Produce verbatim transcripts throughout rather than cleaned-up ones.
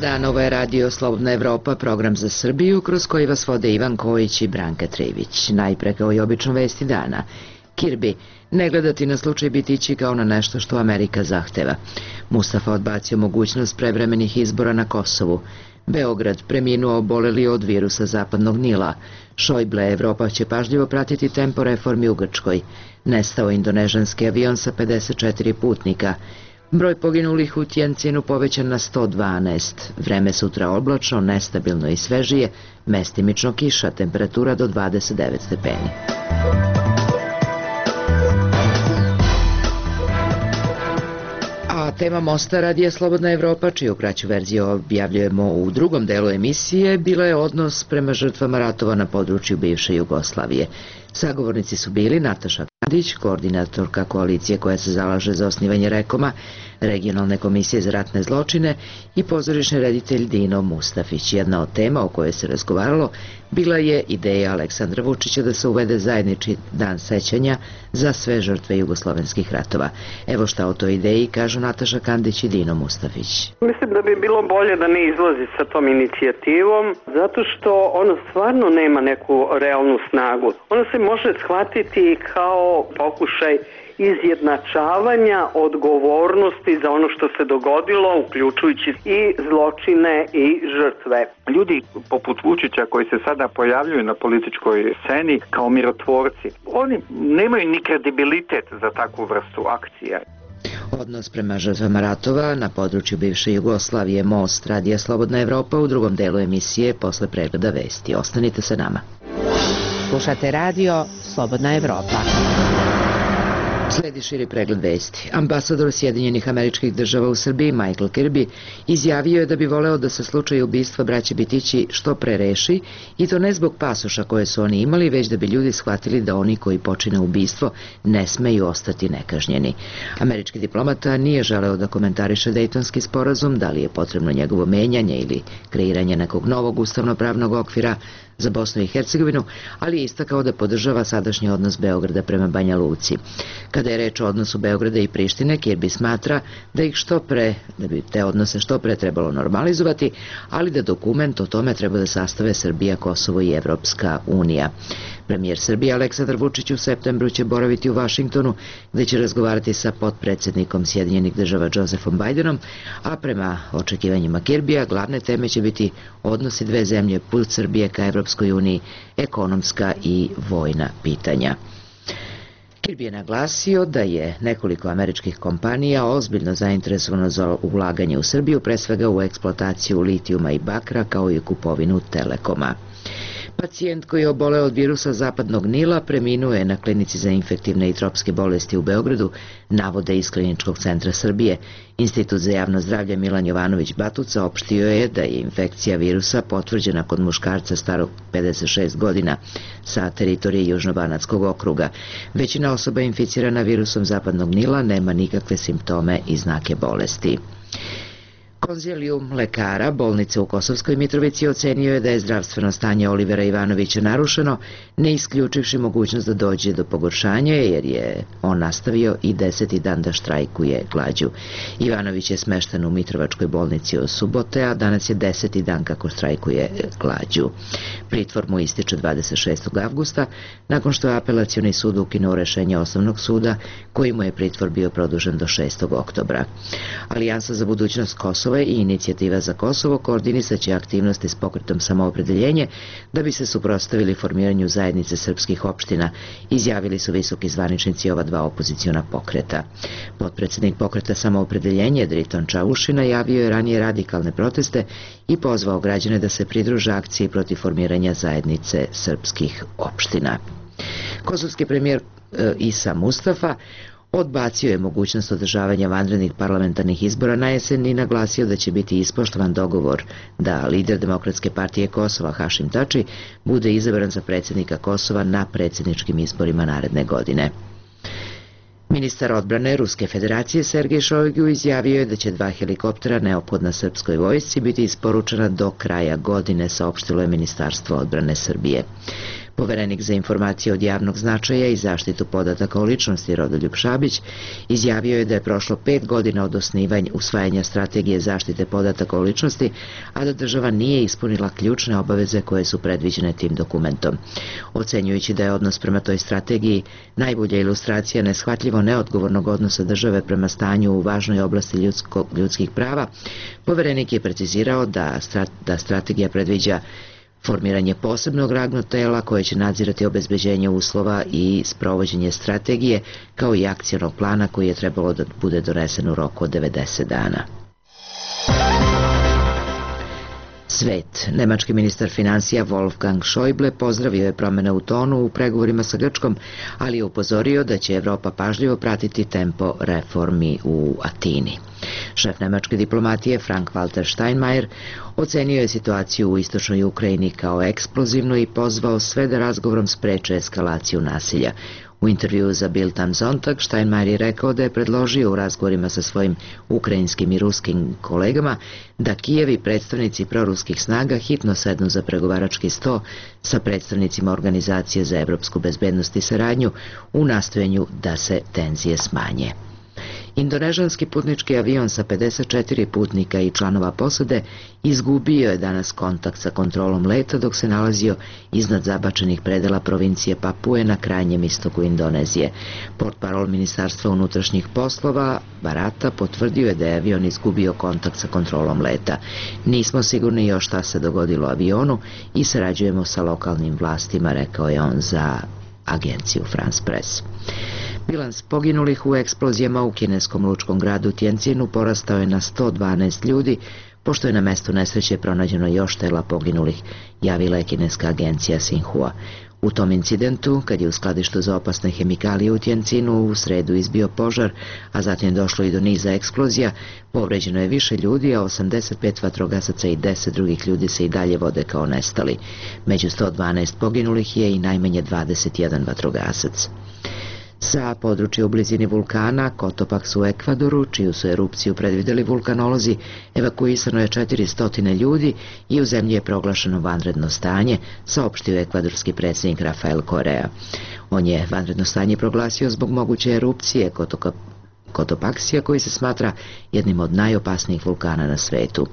dan, ovo je radio Slobodna Evropa, program za Srbiju, kroz koji vas vode Ivan Kojić i Branka Trivić. Najpre, kao i obično, vesti dana. Kirbi, ne gledati na slučaj Bitići kao na nešto što Amerika zahteva. Mustafa odbacio mogućnost prevremenih izbora na Kosovu. Beograd, preminuo oboleli od virusa zapadnog Nila. Šojble, Evropa će pažljivo pratiti tempo reformi u Grčkoj. Nestao indonežanski avion sa pedeset četiri putnika. Broj poginulih u Tjencinu povećan na sto dvanaest. Vreme sutra oblačno, nestabilno i svežije, mestimično kiša, temperatura do dvadeset devet stepeni. A tema Mosta radija Slobodna Evropa, čiju kraću verziju objavljujemo u drugom delu emisije, bila je odnos prema žrtvama ratova na području bivše Jugoslavije. Sagovornici su bili Nataša Kandić, koordinatorka koalicije koja se zalaže za osnivanje Rekoma, regionalne komisije za ratne zločine, i pozorišni reditelj Dino Mustafić. Jedna od tema o kojoj se razgovaralo bila je ideja Aleksandra Vučića da se uvede zajednički dan sećanja za sve žrtve jugoslovenskih ratova. Evo šta o toj ideji kažu Nataša Kandić i Dino Mustafić. Mislim da bi bilo bolje da ne izlazi sa tom inicijativom, zato što ona stvarno nema neku realnu snagu. Ona se može shvatiti kao pokušaj izjednačavanja odgovornosti za ono što se dogodilo, uključujući i zločine i žrtve. Ljudi poput Vučića koji se sada pojavljuju na političkoj sceni kao mirotvorci, oni nemaju ni kredibilitet za takvu vrstu akcija. Odnos prema žrtvama ratova na području bivše Jugoslavije, Most radija Slobodna Evropa, u drugom delu emisije posle pregleda vesti. Ostanite sa nama. Slušate radio Slobodna Evropa. Sledi širi pregled vesti. Ambasador Sjedinjenih Američkih Država u Srbiji, Michael Kirby, izjavio je da bi voleo da se slučaj ubistva braće Bitići što pre reši, i to ne zbog pasoša koje su oni imali, već da bi ljudi shvatili da oni koji počine ubistvo ne smeju ostati nekažnjeni. Američki diplomata nije želeo da komentariše Dejtonski sporazum, da li je potrebno njegovo menjanje ili kreiranje nekog novog ustavno-pravnog okvira za Bosnu i Hercegovinu, ali je istakao da podržava sadašnji odnos Beograda prema Banja Luci. Kada je reč o odnosu Beograda i Prištine, Kirby smatra da ih što pre, da bi te odnose što pre trebalo normalizovati, ali da dokument o tome treba da sastave Srbija, Kosovo i Evropska unija. Premijer Srbije Aleksandar Vučić u septembru će boraviti u Vašingtonu, gde će razgovarati sa potpredsednikom Sjedinjenih Država Josephom Bidenom, a prema očekivanjima Kirbija glavne teme će biti odnosi dve zemlje, put Srbije ka Evropskoj uniji, ekonomska i vojna pitanja. Kirby je naglasio da je nekoliko američkih kompanija ozbiljno zainteresovano za ulaganje u Srbiju, pre svega u eksploataciju litijuma i bakra, kao i kupovinu Telekoma. Pacijent koji je oboleo od virusa zapadnog Nila preminuo je na klinici za infektivne i tropske bolesti u Beogradu, navode iz Kliničkog centra Srbije. Institut za javno zdravlje Milan Jovanović Batuca opštio je da je infekcija virusa potvrđena kod muškarca starog pedeset šest godina sa teritorije Južnobanatskog okruga. Većina osoba inficirana virusom zapadnog Nila nema nikakve simptome i znake bolesti. Konzilijum lekara bolnice u Kosovskoj Mitrovici ocenio je da je zdravstveno stanje Olivera Ivanovića narušeno, ne isključivši mogućnost da dođe do pogoršanja, jer je on nastavio i deseti dan da štrajkuje glađu. Ivanović je smešten u Mitrovačkoj bolnici od subote, a danas je deseti dan kako štrajkuje glađu. Pritvor mu ističe dvadeset šestog avgusta, nakon što je apelacioni sud ukinuo rešenje osnovnog suda, koji mu je pritvor bio produžen do šestog oktobra. Alijansa za budućnost Kosova i Inicijativa za Kosovo koordinisaće aktivnosti s pokretom Samoopredeljenje da bi se suprotstavili formiranju zajednice srpskih opština, izjavili su visoki zvaničnici ova dva opoziciona pokreta. Potpredsednik pokreta Samoopredeljenje Driton Čavušina javio je ranije radikalne proteste i pozvao građane da se pridruže akciji protiv formiranja zajednice srpskih opština. Kosovski premijer Isa Mustafa odbacio je mogućnost održavanja vanrednih parlamentarnih izbora na jesen i naglasio da će biti ispoštovan dogovor da lider Demokratske partije Kosova Hašim Tači bude izabran za predsjednika Kosova na predsjedničkim izborima naredne godine. Ministar odbrane Ruske federacije Sergej Šojgu izjavio je da će dva helikoptera neophodna srpskoj vojsci biti isporučena do kraja godine, saopštilo je Ministarstvo odbrane Srbije. Poverenik za informacije od javnog značaja i zaštitu podataka o ličnosti Rodoljub Šabić izjavio je da je prošlo pet godina od osnivanja usvajanja strategije zaštite podataka o ličnosti, a da država nije ispunila ključne obaveze koje su predviđene tim dokumentom. Ocenjujući da je odnos prema toj strategiji najbolja ilustracija neshvatljivo neodgovornog odnosa države prema stanju u važnoj oblasti ljudsko, ljudskih prava, poverenik je precizirao da, strat, da strategija predviđa formiranje posebnog radnog tela koje će nadzirati obezbeđenje uslova i sprovođenje strategije, kao i akcionog plana koji je trebalo da bude donesen u roku od devedeset dana. Svet. Nemački ministar financija Wolfgang Schäuble pozdravio je promjene u tonu u pregovorima sa Grčkom, ali je upozorio da će Evropa pažljivo pratiti tempo reformi u Atini. Šef nemačke diplomatije Frank-Walter Steinmeier ocenio je situaciju u istočnoj Ukrajini kao eksplozivnu i pozvao sve da razgovorom spreče eskalaciju nasilja. U intervjuu za Bild am Sonntag Steinmeier je rekao da je predložio u razgovorima sa svojim ukrajinskim i ruskim kolegama da Kijev i predstavnici proruskih snaga hitno sednu za pregovarački sto sa predstavnicima Organizacije za evropsku bezbednost i saradnju u nastojanju da se tenzije smanje. Indonežanski putnički avion sa pedeset četiri putnika i članova posade izgubio je danas kontakt sa kontrolom leta dok se nalazio iznad zabačenih predela provincije Papue na krajnjem istoku Indonezije. Portparol Ministarstva unutrašnjih poslova Barata potvrdio je da je avion izgubio kontakt sa kontrolom leta. Nismo sigurni još šta se dogodilo avionu i sarađujemo sa lokalnim vlastima, rekao je on za agenciju France Press. Bilans poginulih u eksplozijama u kineskom lučkom gradu Tientinu porastao je na sto dvanaest ljudi, pošto je na mestu nesreće pronađeno još tela poginulih, javila je kineska agencija Xinhua. U tom incidentu, kad je u skladištu za opasne hemikalije u Tientinu u sredu izbio požar, a zatim došlo i do niza eksplozija, povređeno je više ljudi, a osamdeset pet vatrogasaca i deset drugih ljudi se i dalje vode kao nestali. Među sto dvanaest poginulih je i najmanje dvadeset jedan vatrogasac. Sa područja u blizini vulkana Cotopaxi u Ekvadoru, čiju su erupciju predvideli vulkanolozi, evakuisano je četiristo ljudi i u zemlji je proglašeno vanredno stanje, saopštio ekvadorski predsjednik Rafael Correa. On je vanredno stanje proglasio zbog moguće erupcije Cotopaxija, koji se smatra jednim od najopasnijih vulkana na svetu.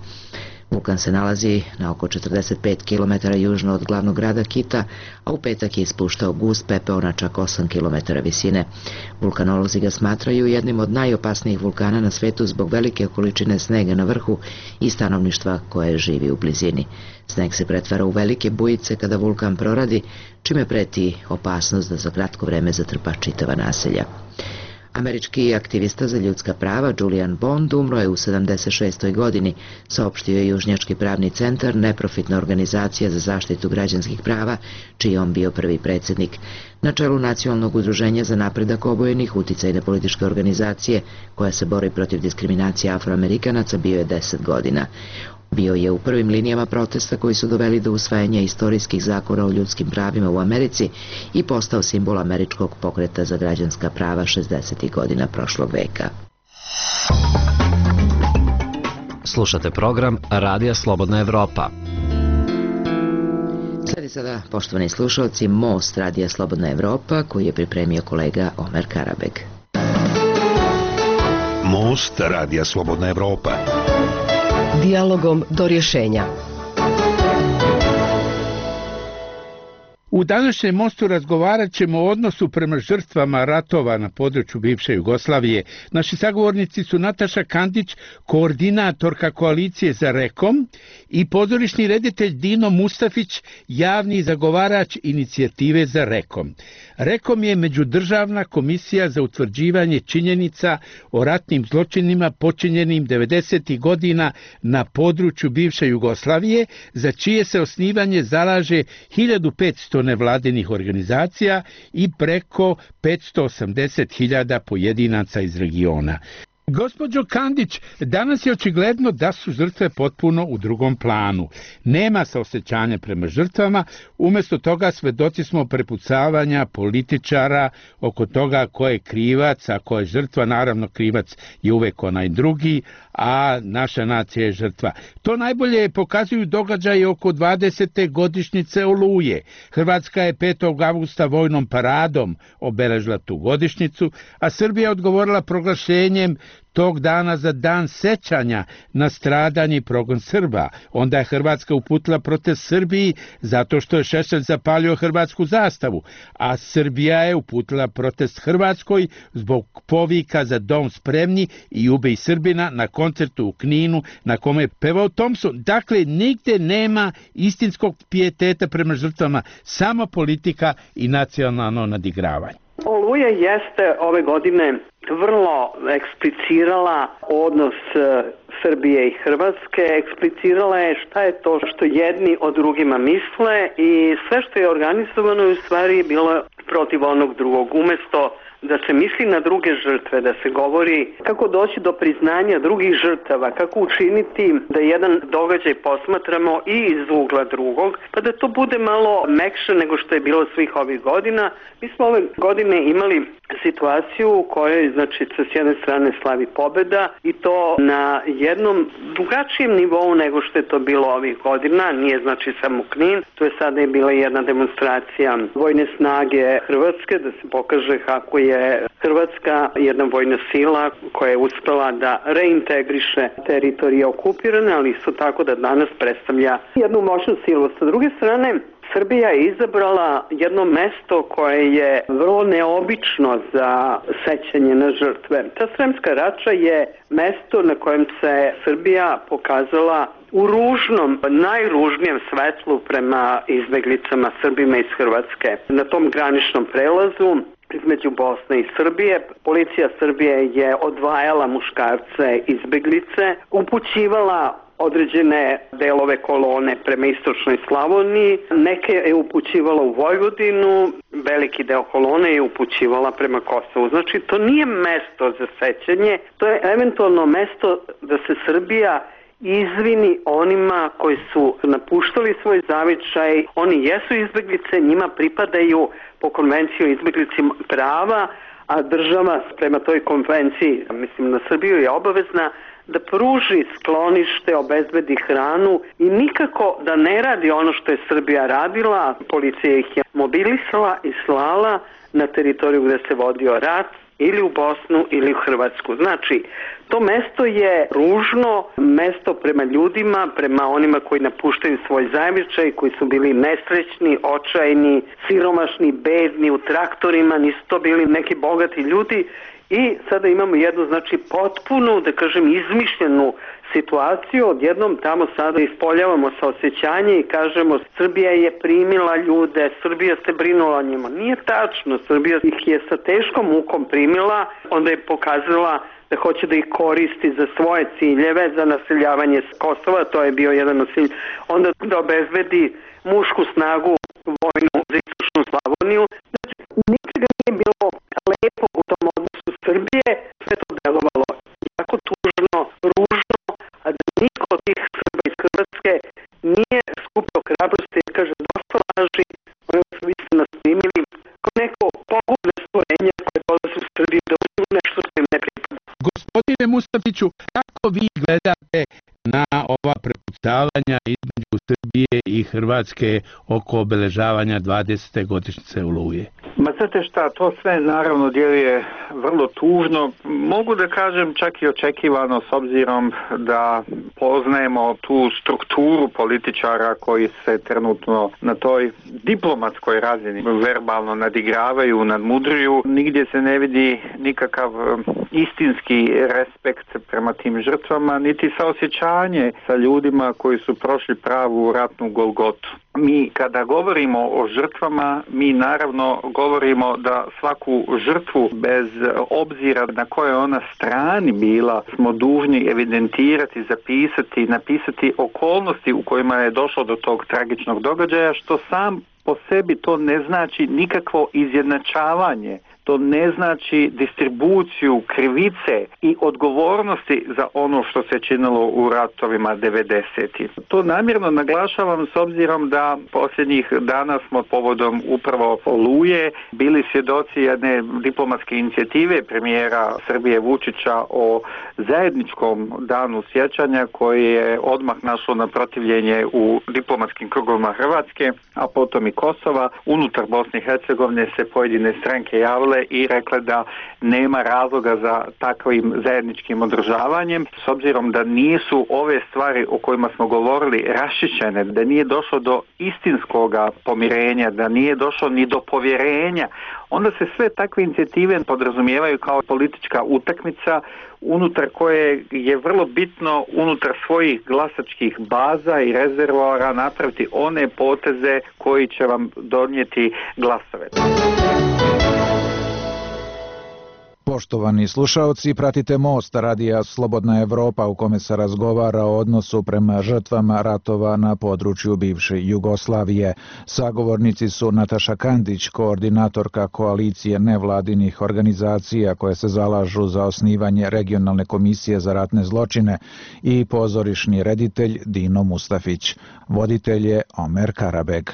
Vulkan se nalazi na oko četrdeset pet kilometara južno od glavnog grada Kita, a u petak je ispuštao gust pepeo na čak osam kilometara visine. Vulkanolozi ga smatraju jednim od najopasnijih vulkana na svetu zbog velike količine snega na vrhu i stanovništva koje živi u blizini. Sneg se pretvara u velike bujice kada vulkan proradi, čime preti opasnost da za kratko vreme zatrpa čitava naselja. Američki aktivista za ljudska prava Julian Bond umro je u sedamdeset šestoj godini, saopštio je Južnjački pravni centar, neprofitna organizacija za zaštitu građanskih prava, čiji je on bio prvi predsjednik. Na čelu Nacionalnog udruženja za napredak obojenih uticajne političke organizacije, koja se bori protiv diskriminacije Afroamerikanaca, bio je deset godina. Bio je u prvim linijama protesta koji su doveli do usvajanja istorijskih zakona o ljudskim pravima u Americi i postao simbol američkog pokreta za građanska prava šezdesetih godina prošlog veka. Slušate program Radija Slobodna Evropa. Sledi sada, poštovani slušalci, Most Radija Slobodna Evropa, koji je pripremio kolega Omer Karabeg. Most Radija Slobodna Evropa. Dijalogom do rješenja. U današnjem Mostu razgovarat ćemo o odnosu prema žrtvama ratova na području bivše Jugoslavije. Naši sagovornici su Nataša Kandić, koordinatorka koalicije za Rekom, i pozorišni reditelj Dino Mustafić, javni zagovarač inicijative za Rekom. Rekom je međudržavna komisija za utvrđivanje činjenica o ratnim zločinima počinjenim devedesetih godina na području bivše Jugoslavije, za čije se osnivanje zalaže hiljadu petsto nevladinih organizacija i preko petsto osamdeset hiljada pojedinaca iz regiona. Gospođo Kandić, danas je očigledno da su žrtve potpuno u drugom planu. Nema saosećanja prema žrtvama, umjesto toga svedoci smo prepucavanja političara oko toga ko je krivac, a ko je žrtva. Naravno, krivac je uvek onaj drugi, a naša nacija je žrtva. To najbolje pokazuju događaje oko dvadesete godišnjice Oluje. Hrvatska je petog avgusta vojnom paradom obeležila tu godišnjicu, a Srbija je odgovorila proglašenjem tog dana za dan sećanja na stradanje i progon Srba. Onda je Hrvatska uputila protest Srbiji zato što je Šešelj zapalio hrvatsku zastavu, a Srbija je uputila protest Hrvatskoj zbog povika za dom spremni i ubij Srbina na koncertu u Kninu na kome je pevao Thompson. Dakle, nigde nema istinskog pijeteta prema žrtvama, samo politika i nacionalno nadigravanje. Oluja jeste ove godine vrlo eksplicirala odnos Srbije i Hrvatske, eksplicirala je šta je to što jedni o drugima misle i sve što je organizovano je u stvari bilo protiv onog drugog. Umesto da se misli na druge žrtve, da se govori kako doći do priznanja drugih žrtava, kako učiniti da jedan događaj posmatramo i iz ugla drugog, pa da to bude malo mekše nego što je bilo svih ovih godina. Mi smo ove godine imali situaciju u kojoj, znači, s jedne strane slavi pobeda i to na jednom drugačijem nivou nego što je to bilo ovih godina. Nije, znači, samo Knin, to je sada je bila jedna demonstracija vojne snage Hrvatske, da se pokaže kako je je Hrvatska jedna vojna sila koja je uspela da reintegriše teritorije okupirane, ali isto tako da danas predstavlja jednu moćnu silu. Sa druge strane, Srbija je izabrala jedno mesto koje je vrlo neobično za sećanje na žrtve. Ta Sremska Rača je mesto na kojem se Srbija pokazala u ružnom, najružnijem svetlu prema izbeglicama Srbima iz Hrvatske. Na tom graničnom prelazu između Bosne i Srbije, policija Srbije je odvajala muškarce izbeglice, upućivala određene delove kolone prema istočnoj Slavoniji, neke je upućivala u Vojvodinu, veliki deo kolone je upućivala prema Kosovu. Znači, to nije mesto za sećanje, to je eventualno mesto da se Srbija izvini onima koji su napuštali svoj zavičaj. Oni jesu izbeglice, njima pripadaju po konvenciji o izbeglicima prava, a država prema toj konvenciji, mislim na Srbiju, je obavezna da pruži sklonište, obezbedi hranu i nikako da ne radi ono što je Srbija radila. Policija ih je mobilisala i slala na teritoriju gde se vodio rat, ili u Bosnu ili u Hrvatsku. Znači, to mesto je ružno, mesto prema ljudima, prema onima koji napuštaju svoj zavičaj, koji su bili nesrećni, očajni, siromašni, bedni, u traktorima, nisu to bili neki bogati ljudi. I sada imamo jednu, znači, potpunu, da kažem, izmišljenu situaciju. Odjednom tamo sada ispoljavamo saosećanje i kažemo Srbija je primila ljude, Srbija se brinula o njima. Nije tačno, Srbija ih je sa teškom mukom primila, onda je pokazala da hoće da ih koristi za svoje ciljeve, za naseljavanje Kosova, to je bio jedan od cilj, onda da obezbedi mušku snagu vojnu za istočnu Slavoniju. Znači, nikada nije bilo lepo u tom odnosu Srbije, sve to delovalo jako tužno, ružno, a da niko od tih Srba iz Hrvatske nije skupio hrabrosti i kaže dosta laži, ono su vi ste nas primili kao neko pogubne stvorenje koje dolaze u Srbiji da uzmu nešto što im ne pripada. Gospodine Mustafiću, kako vi gledate na ova prepucavanja između Srbije i Hrvatske oko obeležavanja dvadesete godišnjice Oluje? Ma znate šta, to sve naravno djeluje vrlo tužno. Mogu da kažem čak i očekivano s obzirom da poznajemo tu strukturu političara koji se trenutno na toj diplomatskoj razini verbalno nadigravaju, nadmudruju. Nigdje se ne vidi nikakav istinski respekt prema tim žrtvama, niti saosjećanje sa ljudima koji su prošli pravu ratnu golgotu. Mi kada govorimo o žrtvama, mi naravno govorimo da svaku žrtvu bez obzira na kojoj ona strani bila smo dužni evidentirati, zapisati, napisati okolnosti u kojima je došlo do tog tragičnog događaja, što sam po sebi to ne znači nikakvo izjednačavanje to ne znači distribuciju krivice i odgovornosti za ono što se činilo u ratovima devedesetih. To namjerno naglašavam s obzirom da posljednjih dana smo povodom upravo Oluje bili svjedoci jedne diplomatske inicijative premijera Srbije Vučića o zajedničkom danu sjećanja koji je odmah našlo na protivljenje u diplomatskim krugovima Hrvatske, a potom i Kosova. Unutar Bosne i Hercegovine se pojedine stranke javile i rekle da nema razloga za takvim zajedničkim održavanjem, s obzirom da nisu ove stvari o kojima smo govorili raščišćene, da nije došlo do istinskoga pomirenja, da nije došlo ni do povjerenja, onda se sve takve inicijative podrazumijevaju kao politička utakmica unutar koje je vrlo bitno unutar svojih glasačkih baza i rezervoara napraviti one poteze koji će vam donijeti glasove. Poštovani slušaoci, pratite Most radija Slobodna Evropa u kome se razgovara o odnosu prema žrtvama ratova na području bivše Jugoslavije. Sagovornici su Nataša Kandić, koordinatorka koalicije nevladinih organizacija koje se zalažu za osnivanje regionalne komisije za ratne zločine, i pozorišni reditelj Dino Mustafić. Voditelj je Omer Karabeg.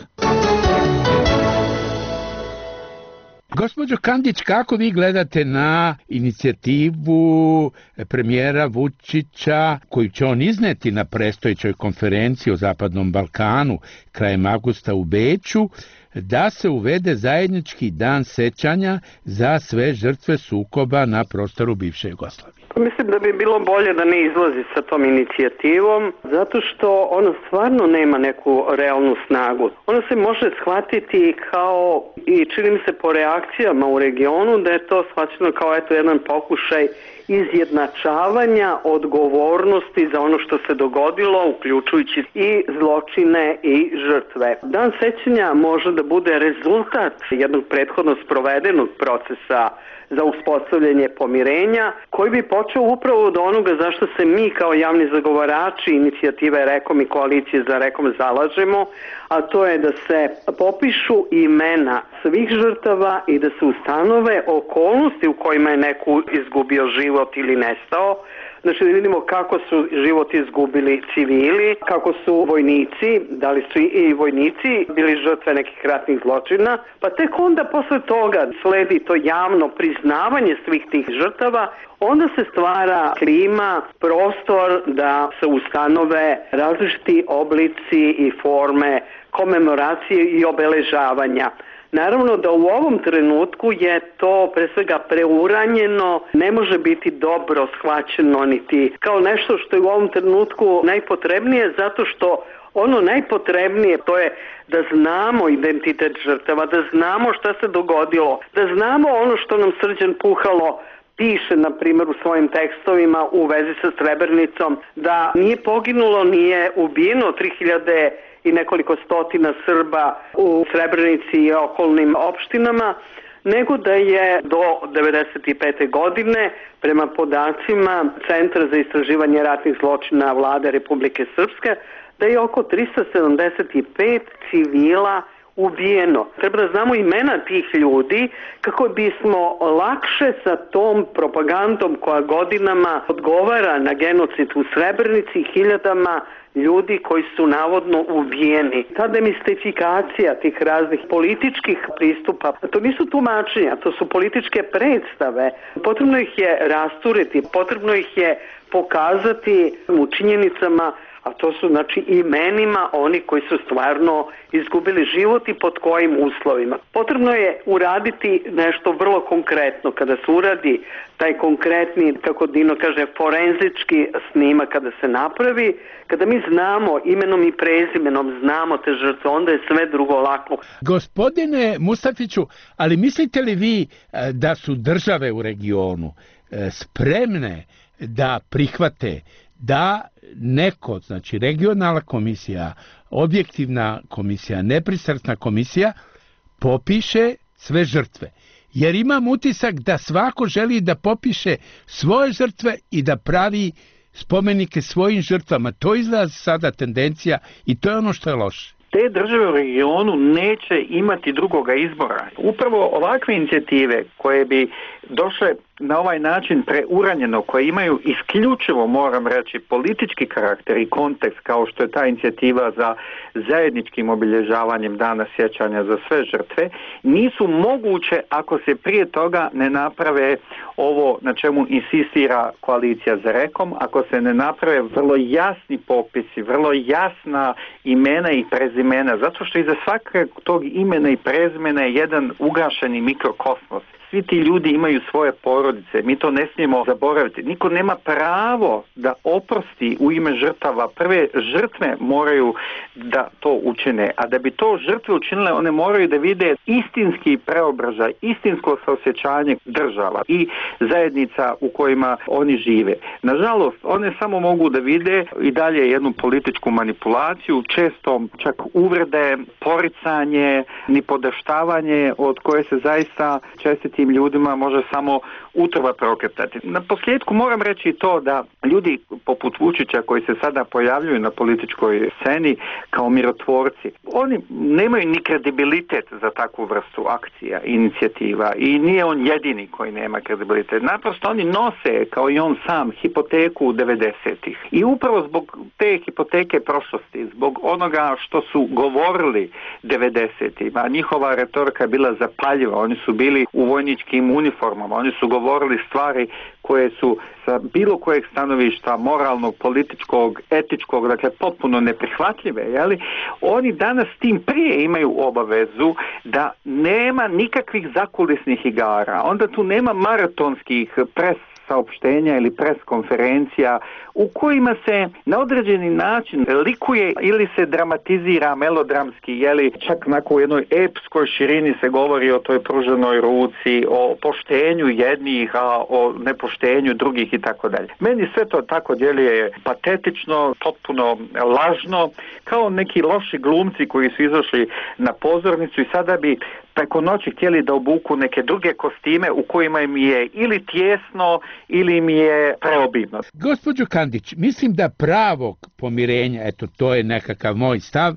Gospođo Kandić, kako vi gledate na inicijativu premijera Vučića koju će on izneti na predstojećoj konferenciji o Zapadnom Balkanu krajem avgusta u Beču, da se uvede zajednički dan sećanja za sve žrtve sukoba na prostoru bivše Jugoslavije? Mislim da bi bilo bolje da ne izlazi sa tom inicijativom, zato što ona stvarno nema neku realnu snagu. Ona se može shvatiti kao, i čini mi se po reakcijama u regionu, da je to shvaćeno kao eto jedan pokušaj izjednačavanja odgovornosti za ono što se dogodilo, uključujući i zločine i žrtve. Dan sećanja može da bude rezultat jednog prethodno sprovedenog procesa za uspostavljanje pomirenja, koji bi počeo upravo od onoga zašto se mi kao javni zagovarači inicijative Rekom i koalicije za Rekom zalažemo, a to je da se popišu imena svih žrtava i da se ustanove okolnosti u kojima je neko izgubio život ili nestao. Znači da vidimo kako su život izgubili civili, kako su vojnici, da li su i vojnici bili žrtve nekih ratnih zločina, pa tek onda posle toga sledi to javno priznavanje svih tih žrtava, onda se stvara klima, prostor da se ustanove različiti oblici i forme komemoracije i obeležavanja. Naravno da u ovom trenutku je to pre svega preuranjeno, ne može biti dobro shvaćeno niti kao nešto što je u ovom trenutku najpotrebnije, zato što ono najpotrebnije to je da znamo identitet žrtava, da znamo šta se dogodilo, da znamo ono što nam Srđan Puhalo piše, na primjer, u svojim tekstovima u vezi sa Srebrenicom, da nije poginulo, nije ubijeno tri hiljade i nekoliko stotina Srba u Srebrenici i okolnim opštinama, nego da je do devedeset pete godine, prema podacima Centra za istraživanje ratnih zločina Vlade Republike Srpske, da je oko trista sedamdeset pet civila ubijeno. Treba da znamo imena tih ljudi kako bismo lakše sa tom propagandom koja godinama odgovara na genocid u Srebrenici, hiljadama ljudi koji su navodno ubijeni. Ta demistifikacija tih raznih političkih pristupa, to nisu tumačenja, to su političke predstave. Potrebno ih je rasturiti, potrebno ih je pokazati u činjenicama, a to su znači imenima oni koji su stvarno izgubili život i pod kojim uslovima. Potrebno je uraditi nešto vrlo konkretno. Kada se uradi taj konkretni, kako Dino kaže, forenzički snimak, kada se napravi, kada mi znamo imenom i prezimenom, znamo te žrtve, onda je sve drugo lako. Gospodine Mustafiću, ali mislite li vi da su države u regionu spremne da prihvate da neko, znači regionalna komisija, objektivna komisija, nepristrasna komisija, popiše sve žrtve? Jer imam utisak da svako želi da popiše svoje žrtve i da pravi spomenike svojim žrtvama. To izgleda sada tendencija i to je ono što je loše. te države u regionu neće imati drugoga izbora. Upravo ovakve inicijative koje bi došle na ovaj način preuranjeno, koje imaju isključivo, moram reći, politički karakter i kontekst, kao što je ta inicijativa za zajedničkim obilježavanjem dana sjećanja za sve žrtve, nisu moguće ako se prije toga ne naprave ovo na čemu insistira koalicija za rekom, ako se ne naprave vrlo jasni popisi, vrlo jasna imena i prezimena, zato što iza svakog tog imena i prezimena je jedan ugašeni mikrokosmos. Svi ti ljudi imaju svoje porodice, mi to ne smijemo zaboraviti. Niko nema pravo da oprosti u ime žrtava. Prve žrtve moraju da to učine, a da bi to žrtve učinile, one moraju da vide istinski preobražaj, istinsko saosjećanje država i zajednica u kojima oni žive. Nažalost, one samo mogu da vide i dalje jednu političku manipulaciju, često čak uvrede, poricanje, nipodaštavanje od koje se zaista često tim ljudima može samo utrva prokretati. Na posljedku moram reći to da ljudi poput Vučića koji se sada pojavljuju na političkoj sceni kao mirotvorci, oni nemaju ni kredibilitet za takvu vrstu akcija, inicijativa i nije on jedini koji nema kredibilitet. Naprosto oni nose, kao i on sam, hipoteku devedesetih. I upravo zbog te hipoteke prošlosti, zbog onoga što su govorili devedesetih, a njihova retorika je bila zapaljiva, oni su bili u vojničkim uniformama, oni su govorili stvari koje su sa bilo kojeg stanovišta moralnog, političkog, etičkog, dakle potpuno neprihvatljive, jeli? Oni danas tim prije imaju obavezu da nema nikakvih zakulisnih igara, onda tu nema maratonskih pres saopštenja ili pres konferencija u kojima se na određeni način likuje ili se dramatizira melodramski, jeli čak onako u jednoj epskoj širini se govori o toj pruženoj ruci, o poštenju jednih, a o nepoštenju drugih i tako dalje. Meni sve to tako djeluje patetično, potpuno lažno, kao neki loši glumci koji su izašli na pozornicu i sada bi preko noći htjeli da obuku neke druge kostime u kojima im je ili tjesno ili im je preobimno. Gospođo Kandić, mislim da pravog pomirenja, eto to je nekakav moj stav,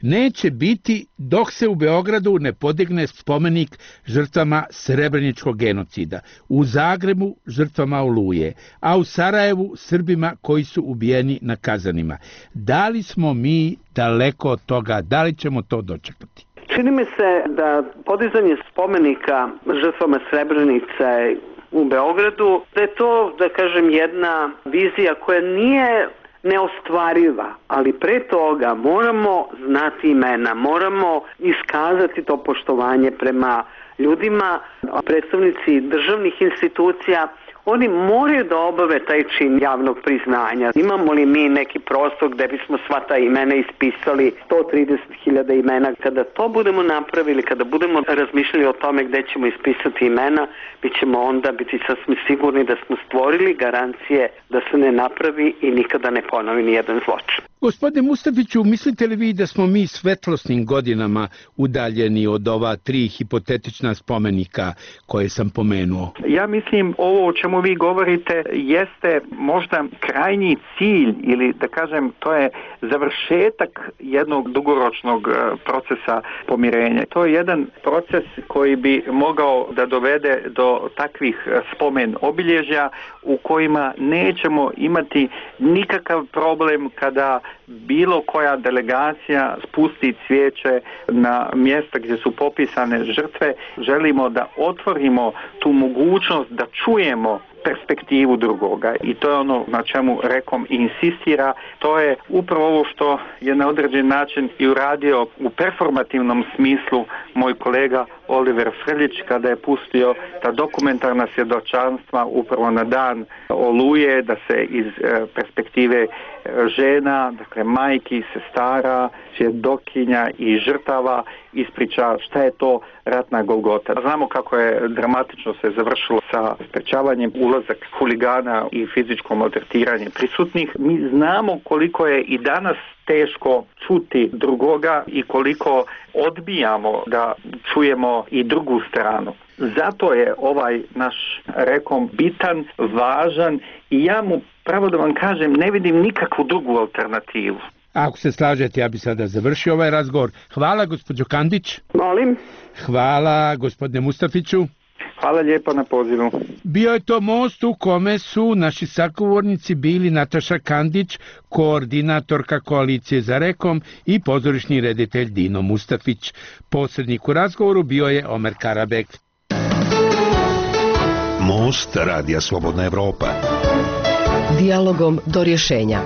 neće biti dok se u Beogradu ne podigne spomenik žrtvama Srebreničkog genocida, u Zagrebu žrtvama Oluje, a u Sarajevu Srbima koji su ubijeni na kazanima. Da li smo mi daleko od toga, da li ćemo to dočekati? Čini mi se da podizanje spomenika žrtvama Srebrenice u Beogradu, da je to, da kažem, jedna vizija koja nije neostvariva, ali pre toga moramo znati imena, moramo iskazati to poštovanje prema ljudima, predstavnici državnih institucija. Oni moraju da obave taj čin javnog priznanja. Imamo li mi neki prostor gde bismo sva ta imena ispisali, sto trideset hiljada imena? Kada to budemo napravili, kada budemo razmišljali o tome gde ćemo ispisati imena, mi ćemo onda biti sasvim sigurni da smo stvorili garancije da se ne napravi i nikada ne ponovi nijedan zločin. Gospodine Mustafiću, mislite li vi da smo mi svetlosnim godinama udaljeni od ova tri hipotetična spomenika koje sam pomenuo? Ja mislim ovo o čemu vi govorite jeste možda krajnji cilj ili da kažem to je završetak jednog dugoročnog procesa pomirenja. To je jedan proces koji bi mogao da dovede do takvih spomen obilježja u kojima nećemo imati nikakav problem kada bilo koja delegacija spusti cvijeće na mjesta gdje su popisane žrtve. Želimo da otvorimo tu mogućnost da čujemo perspektivu drugoga i to je ono na čemu Rekom insistira. To je upravo ovo što je na određen način i uradio u performativnom smislu moj kolega Oliver Frljić kada je pustio ta dokumentarna svjedočanstva upravo na dan Oluje, da se iz perspektive žena, dakle majki, sestara, svjedokinja i žrtava ispriča šta je to ratna Golgota. Znamo kako je dramatično se završilo sa sprečavanjem ulazak huligana i fizičko maltretiranje prisutnih. Mi znamo koliko je i danas teško čuti drugoga i koliko odbijamo da čujemo i drugu stranu. Zato je ovaj naš Rekom bitan, važan i ja mu, pravo da vam kažem, ne vidim nikakvu drugu alternativu. Ako se slažete, ja bi sada završio ovaj razgovor. Hvala, gospođo Kandić. Molim. Hvala, gospodine Mustafiću. Hvala lijepo na pozivu. Bio je to most u kome su naši sagovornici bili Nataša Kandić, koordinatorka koalicije za Rekom, i pozorišni reditelj Dino Mustafić. Posrednik u razgovoru bio je Omer Karabek. Most Radija Slobodna Evropa. Dijalogom do rješenja.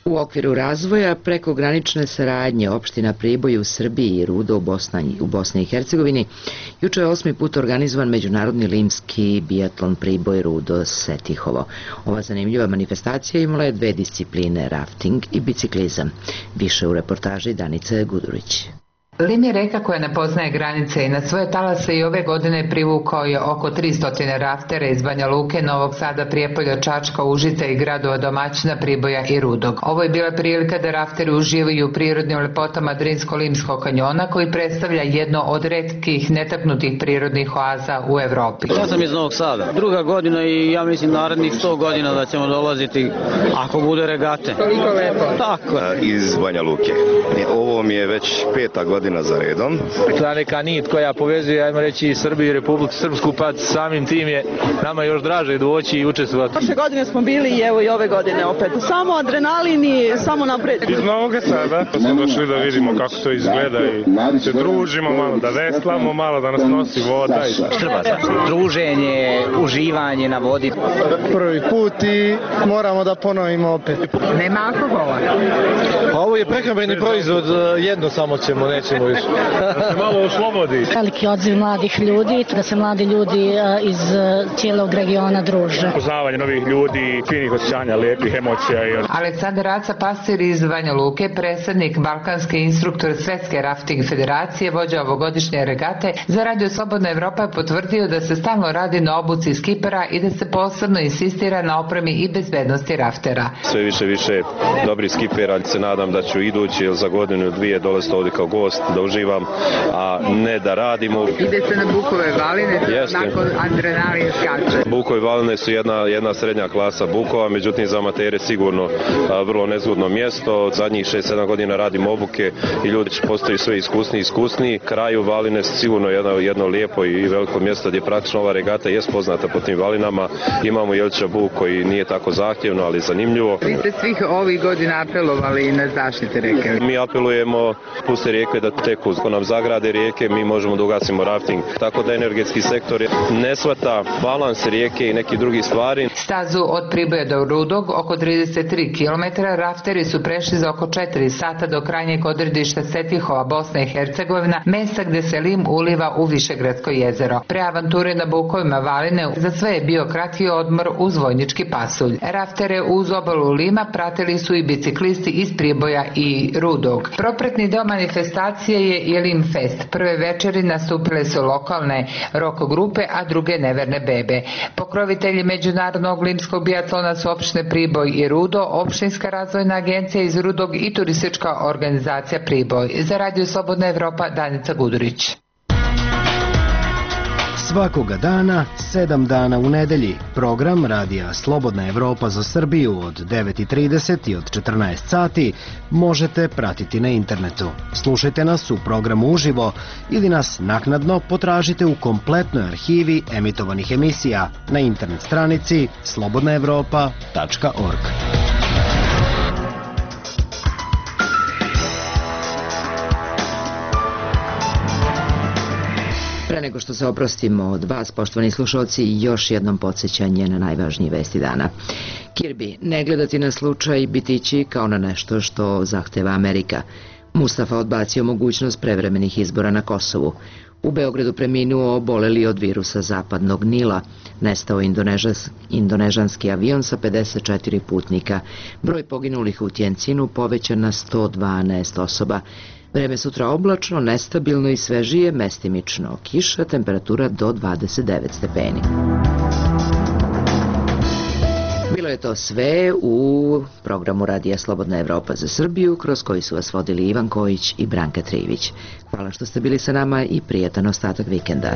U okviru razvoja prekogranične saradnje opština Priboj u Srbiji i Rudo u Bosni, u Bosni i Hercegovini juče je osmi put organizovan međunarodni limski biatlon Priboj Rudo Setihovo. Ova zanimljiva manifestacija imala je dve discipline, rafting i biciklizam. Više u reportaži Danice Gudurić. Lim je reka koja ne poznaje granice i na svoje talase i ove godine privukao je oko tristo raftera iz Banja Luke, Novog Sada, Prijepolja, Čačka, Užica i gradova domaćina Priboja i Rudog. Ovo je bila prilika da rafteri uživaju u prirodnim lepotama Drinsko-Limskog kanjona, koji predstavlja jedno od retkih netaknutih prirodnih oaza u Evropi. Ja sam iz Novog Sada. Druga godina i ja mislim narednih sto godina da ćemo dolaziti ako bude regate. Koliko lepo. Tako. Iz Banja Luke. Ovo mi je već peta godina za redom. Ta neka nit koja povezuje, ajmo reći, Srbiju i Republiku Srpsku, pa samim tim je nama još draže doći i učestvovati. Prošle godine smo bili i evo i ove godine opet. Samo adrenalin i samo napred. Iz Novog Sada pa smo došli da vidimo kako to izgleda i se družimo malo, da veslamo malo, da nas nosi voda. Štrbaca. Druženje, uživanje na vodi. Prvi put i moramo da ponovimo opet. Nema alkohola. Ovo je prehrambeni proizvod, jedno samo ćemo, nećemo više. Da se malo oslobodi. Veliki odziv mladih ljudi, da se mladi ljudi iz cijelog regiona druže. Poznavanje novih ljudi, finih osjećanja, lijepih emocija. Aleksandar Aca, pastir iz Banja Luke, predsjednik balkanske instruktor Svetske rafting federacije, vođa ovogodišnje regate, za Radio Slobodna Evropa je potvrdio da se stalno radi na obuci skipera i da se posebno insistira na opremi i bezbednosti raftera. Sve više više dobri skipera, se nadam da ću idući ili za godinu dvije dolaziti ovdje kao gost, da uživam, a ne da radimo. Ide se na Bukove valine, nakon adrenalin skače. Bukove valine su jedna, jedna srednja klasa Bukova, međutim za amatere sigurno a, vrlo nezgodno mjesto. Zadnjih šest sedam godina radim obuke i ljudi postaju sve iskusniji i iskusniji. Kraju valine su sigurno jedno, jedno lijepo i veliko mjesto gdje praktično ova regata je poznata po tim valinama. Imamo Jelča Buk koji nije tako zahtjevno, ali zanimljivo. Vi ste svih ovih godina apelovali na zaštite reke. Mi apelujemo puste rijeke da teku. Ako nam zagrade rijeke, mi možemo da ugasimo rafting. Tako da energetski sektor ne shvata balans rijeke i neki drugi stvari. Stazu od Priboja do Rudog, oko trideset tri kilometra, rafteri su prešli za oko četiri sata do krajnjeg odredišta Setihova, Bosna i Hercegovina, mesta gde se Lim uliva u Višegradsko jezero. Pre avanture na Bukovima valine za sve je bio kratki odmor uz vojnički pasulj. Raftere uz obalu Lima pratili su i biciklisti iz Priboja i Rudog. Propretni deo manifestacije je i Lim Fest. Prve večeri nastupile su lokalne rock grupe, a druge neverne bebe. Pokrovitelji međunarodnog limskog biatlona su opštine Priboj i Rudo, opštinska razvojna agencija iz Rudog i turistička organizacija Priboj. Za Radio Slobodna Evropa, Danica Gudurić. Svakoga dana, sedam dana u nedelji, program Radija Slobodna Evropa za Srbiju od devet i trideset i od četrnaest sati možete pratiti na internetu. Slušajte nas u programu uživo ili nas naknadno potražite u kompletnoj arhivi emitovanih emisija na internet stranici slobodna evropa tačka org. Pre nego što se oprostimo od vas, poštovani slušalci, još jednom podsjećanje na najvažnije vesti dana. Kirby, ne gledati na slučaj bitići kao na nešto što zahteva Amerika. Mustafa odbacio mogućnost prevremenih izbora na Kosovu. U Beogradu preminuo oboleli od virusa zapadnog Nila. Nestao indonežas, indonežanski avion sa pedeset četiri putnika. Broj poginulih u Tjencinu povećan na sto dvanaest osoba. Vreme sutra oblačno, nestabilno i svežije, mestimično kiša, temperatura do dvadeset devet stepeni. Bilo je to sve u programu Radija Slobodna Evropa za Srbiju, kroz koji su vas vodili Ivan Kojić i Branka Trivić. Hvala što ste bili sa nama i prijatan ostatak vikenda.